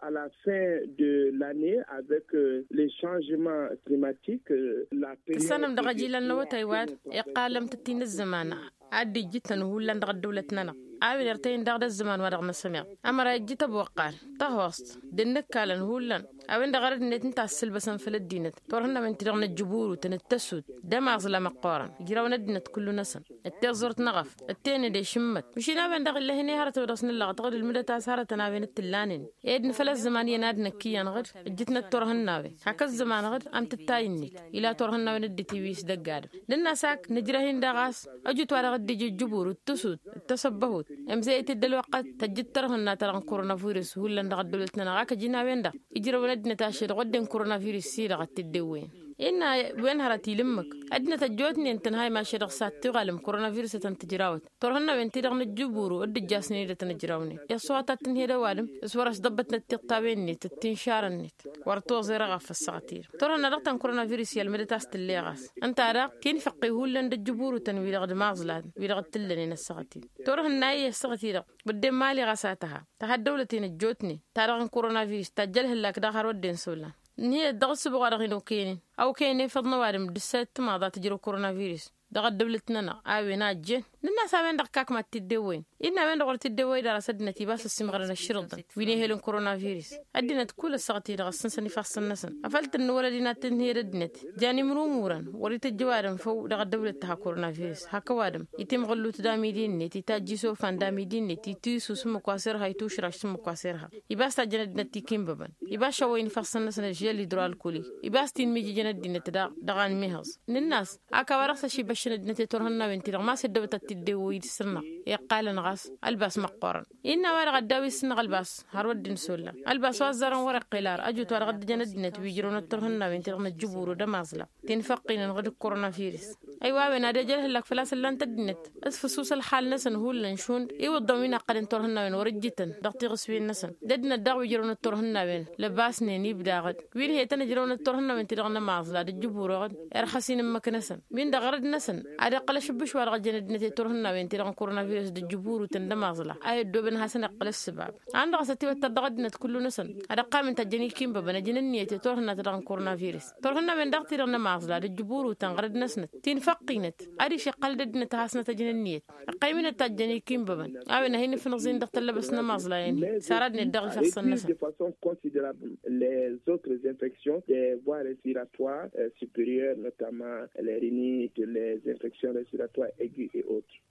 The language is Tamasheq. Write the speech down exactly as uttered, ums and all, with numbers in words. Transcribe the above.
à la fin de l'année avec les changements climatiques. La période tǝssanăm dăɣ-ajilăn n-awătay wa-dăɣ iqqalăm tǝttin ăzzăman ad-dd-ijjǝtăn hullan dăɣ-ăddăwlăt-nănăɣ. A-wen irtăyăn daɣ d-ăzzăman wa dăɣ-năsămeɣ ămăra ijjǝt ăboqqal tăhost d-ǝnnǝkkalăn hullan. A-wen-dăɣ ărăd-net ǝnta a ǝssǝlbăsăn făll-ăddinăt turhǝnnawen-ti-dăɣ n-ăjjǝburutăn d-tăsut d-ămaẓla măqqoorăn ijrawăn ăddinăt kullu-năsăn d-tiẓẓurt n-eɣăf d-tenăde šǝmmăt. Măšin a-wen-dăɣ ill'-e hin-e hărăt wa dăɣ-s nǝllaɣăt ɣǝd ǝlmǝdăt a-s hărătăn a-wen d-tǝllanen ed n-făll-ăzzăman iyyăn ad-năkk iyyăn ɣǝd ǝjjǝtnăt turhǝnnawen hak ăzzăman ɣǝd. Am tǝttay-net ila turhǝnnawen dd-itiwis dăgg-adǝm nǝnn'-as hak nǝjrăh-in daɣ a-s ăjut wa dăɣ-dd-ija ăjjǝburut d-tǝsut d-tăsăbbăhut. Ămzăyăt-dd ălwăqqăt tăjjǝt tărhǝnna-ta-dăɣ n-koronavirus hullan dăɣ-ăddăwlăt-nănăɣ ak ăjǝn a-wen-dăɣ ijrăwăn ăddinăt ašăl dăɣ-wădden koronavirus-i-dăɣ a t-dd-ewwăyăn. Innă wen hărăt ila ǝmmǝk ăddinăt ăjjootnen tǝnhăy mašăl dăɣ-s ad-tiɣalăm koronavirus a tăn-tǝjrawăt turhǝnnawen-ti-dăɣ n-ǝjjǝburu dd-ǝjjasnen-i dăɣ-tăn-ǝjrawnen. Iṣṣuhat ad-tǝnhed ăwadǝm s-wăr-ăšḍăbbăt n-ăttiṭṭawen-net d-tinšarăn-net wăr toẓer eɣăf ăssaɣăt-i-dăɣ turhǝnna dăɣ-ta n-koronavirus i-ălmǝdăt a-s tǝll'-e ɣas. Ǝnta daɣ tinfăqqi hullan d-ǝjjǝburutăn wi-dăɣ d-imaẓlaten wi-dăɣ t-ǝllănen ăssaɣăt-i-dăɣ turhǝnna-i ăssaɣăt-i-dăɣ. Wădden mali ɣas a tăha tăha ăddăwlăt-en ăjjootnen ta dăɣ-n koronavirus tajj ălhǝllak daɣ har wădden s-ollan. Ǝnhǝyăt dăɣ-ǝssǝboɣ wa dăɣ-hin-okăynen a okăyăn efăḍ n-ăwadǝm d-ǝssăyăt timaḍa tǝjrăw koronavirus. Dăɣ-ăddăwlăt-nănăɣ a-wen a ăjjeen nǝnn'-as a-wen-dăɣ kak mad-t-dd-ewwăyăn. Innă a-wen-dăɣ wăr t-dd-ewwăy d-arăs ăddinăt ibas ăssiimɣărăn ăšširǝḍăn wi n-ehel n-koronavirus. Ăddinăt kull ăssaɣăt-i-dăɣ ăssǝnsăn ifassăn-năsăn afăl tǝnnǝwălăd inat tǝnhǝyăd ăddinăt. Jan imrumurăn wăr-itǝjj ăwadǝm făw dăɣ-ăddăwlăt tăha koronavirus hak ăwadǝm itimɣǝllut d-amidi-net itajj isofan d-amidi-net itisus ǝmmǝk wa s-irha itušraš s-ǝmmǝk wa s-irha. Ibas tajjăn ăddinăt tikinbăbăn ibas šăwwăyăn ifassăn-năsăn ăžžel idru alkuli. Ibas tinmijǝjăn ăddinăt daɣ dăɣ-anmihăẓ nǝnn'-as. Ak a-wa-dăɣ s-ašibăššăn ăddinăt i-turhǝnnawen-ti-dăɣ ma s-ăddăwăt ad-t-dd-ewwăy d-săr-năɣ iqqalăn ɣas ălbas măqqoorăn. Innă a-wa-dăɣ ăddaw-i s-săr-năɣ ălbas har wădden s-ollan ălbas wa ăzzarăn wăr-iqqel ar ăjut wa dăɣ-dd-ǝjăn ăddinăt wi ǝjrăwnăt turhǝnnawen-ti-dăɣ n-ăjjǝburu d-ămaẓla tinfăqqinăn ɣǝd-ǝkk koronavirus. Ăywa a-wen ad-ej ălhăllak făl-a-s ǝllan-t ăddinăt s-făsus ălxal-năsăn hullan šund iwǝḍḍăn wi n-ăqqălăn turhǝnnawen wăr-ǝjjǝtăn dăɣ-tiɣǝswen-năsăn. D-ăddinăt daɣ wi ǝjrăwnăt turhǝnnawen lăbasnen ibda ɣǝd wi n-hetăn ǝjrăwnăt turhǝnnawen-ti-dăɣ n-ămaẓla d-ǝjjǝburu ɣǝd irxăs-in ǝmmǝk-năsăn. Win-dăɣ ɣărăd-năsăn ad-iqqăl ašǝbbǝš wa dăɣ-ăjjăn ăddinăt i-turhǝnnawen-ti-dăɣ n-koronavirus d-ǝjjǝburutăn d-ămaẓla a i-ăddoobăn ad-hasăn-iqqăl ǝssǝbab. An dăɣ-s ătiwăttăr dăɣ-ăddinăt kullu-năsăn ad-ăqqamen tajjăn ikinbăbăn ăjǝn ǝnniyăt i-turhǝnna-ta-dăɣ n-koronavirus. Turhǝnnawen daɣ-ti-dăɣ n-ămaẓla d-ǝjjǝburutăn ɣărăd-năsnăt tinfăqqinăt ad-išiqqăl d-ăddinăt ad-hasnăt ăjǝn ǝnniyăt. Ăqqăyminăt tajjăn ikinbăbăn a-wen a hin-ǝfnǝẓ-in dăɣ-tăllăbăst n-ămaẓlayen-hi. S-ara ăddinăt daɣ ifassăn-năsăn. De façon considérable les autres infections des voies respiratoires supérieures, notamment les rhinites, les infections respiratoires aiguës et autres.